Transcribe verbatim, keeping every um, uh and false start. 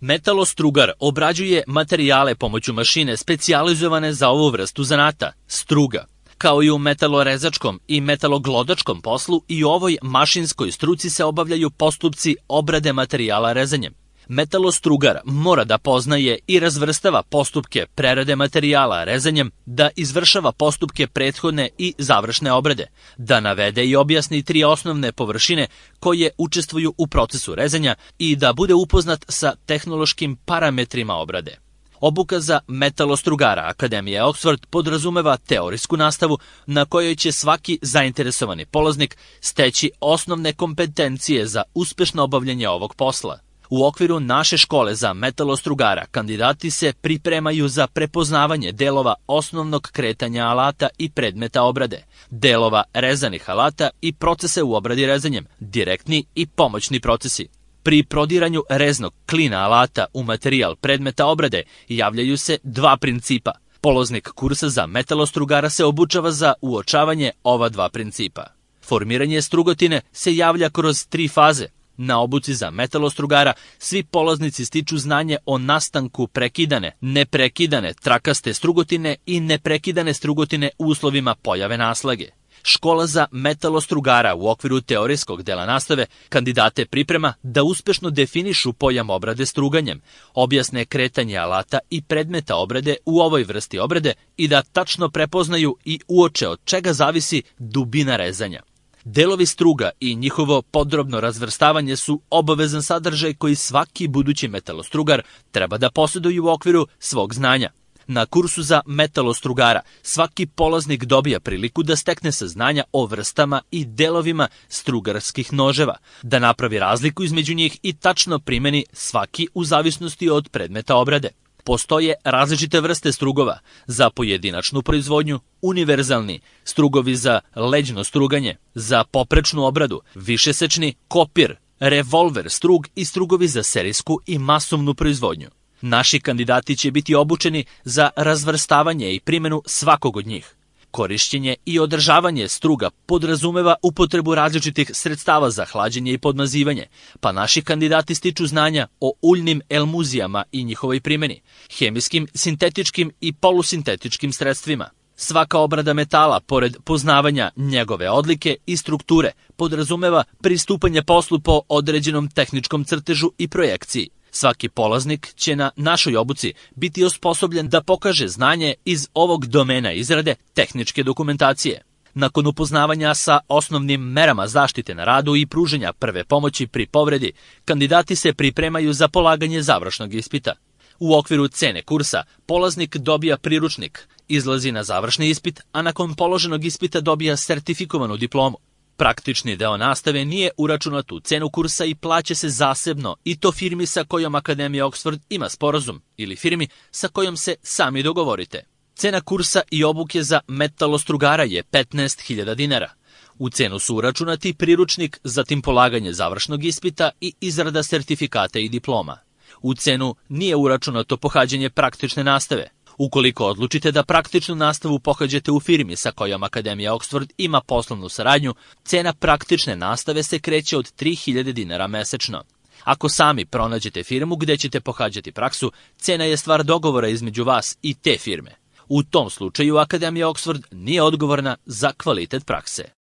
Metalostrugar obrađuje materijale pomoću mašine specijalizovane za ovu vrstu zanata, struga. Kao i u metalorezačkom i metaloglodačkom poslu, i u ovoj mašinskoj struci se obavljaju postupci obrade materijala rezanjem. Metalostrugar mora da poznaje i razvrstava postupke prerade materijala rezanjem, da izvršava postupke prethodne i završne obrade, da navede i objasni tri osnovne površine koje učestvuju u procesu rezanja i da bude upoznat sa tehnološkim parametrima obrade. Obuka za metalostrugara Akademije Oxford podrazumeva teorijsku nastavu na kojoj će svaki zainteresovani polaznik steći osnovne kompetencije za uspešno obavljanje ovog posla. U okviru naše škole za metalostrugara kandidati se pripremaju za prepoznavanje delova osnovnog kretanja alata i predmeta obrade, delova rezanih alata i procese u obradi rezanjem, direktni i pomoćni procesi. Pri prodiranju reznog klina alata u materijal predmeta obrade javljaju se dva principa. Polaznik kursa za metalostrugara se obučava za uočavanje ova dva principa. Formiranje strugotine se javlja kroz tri faze. Na obuci za metalostrugara svi polaznici stiču znanje o nastanku prekidane, neprekidane trakaste strugotine i neprekidane strugotine u uslovima pojave naslage. Škola za metalostrugara u okviru teorijskog dela nastave kandidate priprema da uspešno definišu pojam obrade struganjem, objasne kretanje alata i predmeta obrade u ovoj vrsti obrade i da tačno prepoznaju i uoče od čega zavisi dubina rezanja. Delovi struga i njihovo podrobno razvrstavanje su obavezan sadržaj koji svaki budući metalostrugar treba da posjeduje u okviru svog znanja. Na kursu za metalostrugara svaki polaznik dobija priliku da stekne saznanja o vrstama i delovima strugarskih noževa, da napravi razliku između njih i tačno primeni svaki u zavisnosti od predmeta obrade. Postoje različite vrste strugova za pojedinačnu proizvodnju, univerzalni, strugovi za leđno struganje, za poprečnu obradu, višesečni, kopir, revolver strug i strugovi za serijsku i masovnu proizvodnju. Naši kandidati će biti obučeni za razvrstavanje i primjenu svakog od njih. Korišćenje i održavanje struga podrazumeva upotrebu različitih sredstava za hlađenje i podmazivanje, pa naši kandidati stiču znanja o uljnim elmuzijama i njihovoj primjeni, hemijskim, sintetičkim i polusintetičkim sredstvima. Svaka obrada metala, pored poznavanja njegove odlike i strukture, podrazumeva pristupanje poslu po određenom tehničkom crtežu i projekciji. Svaki polaznik će na našoj obuci biti osposobljen da pokaže znanje iz ovog domena izrade tehničke dokumentacije. Nakon upoznavanja sa osnovnim merama zaštite na radu i pruženja prve pomoći pri povredi, kandidati se pripremaju za polaganje završnog ispita. U okviru cene kursa polaznik dobija priručnik, izlazi na završni ispit, a nakon položenog ispita dobija sertifikovanu diplomu. Praktični deo nastave nije uračunat u cenu kursa i plaća se zasebno, i to firmi sa kojom Akademija Oxford ima sporazum ili firmi sa kojom se sami dogovorite. Cena kursa i obuke za metalostrugara je petnaest hiljada dinara. U cenu su uračunati priručnik, zatim polaganje završnog ispita i izrada sertifikata i diploma. U cenu nije uračunato pohađanje praktične nastave. Ukoliko odlučite da praktičnu nastavu pohađate u firmi sa kojom Akademija Oxford ima poslovnu saradnju, cena praktične nastave se kreće od tri hiljade dinara mesečno. Ako sami pronađete firmu gde ćete pohađati praksu, cena je stvar dogovora između vas i te firme. U tom slučaju Akademija Oxford nije odgovorna za kvalitet prakse.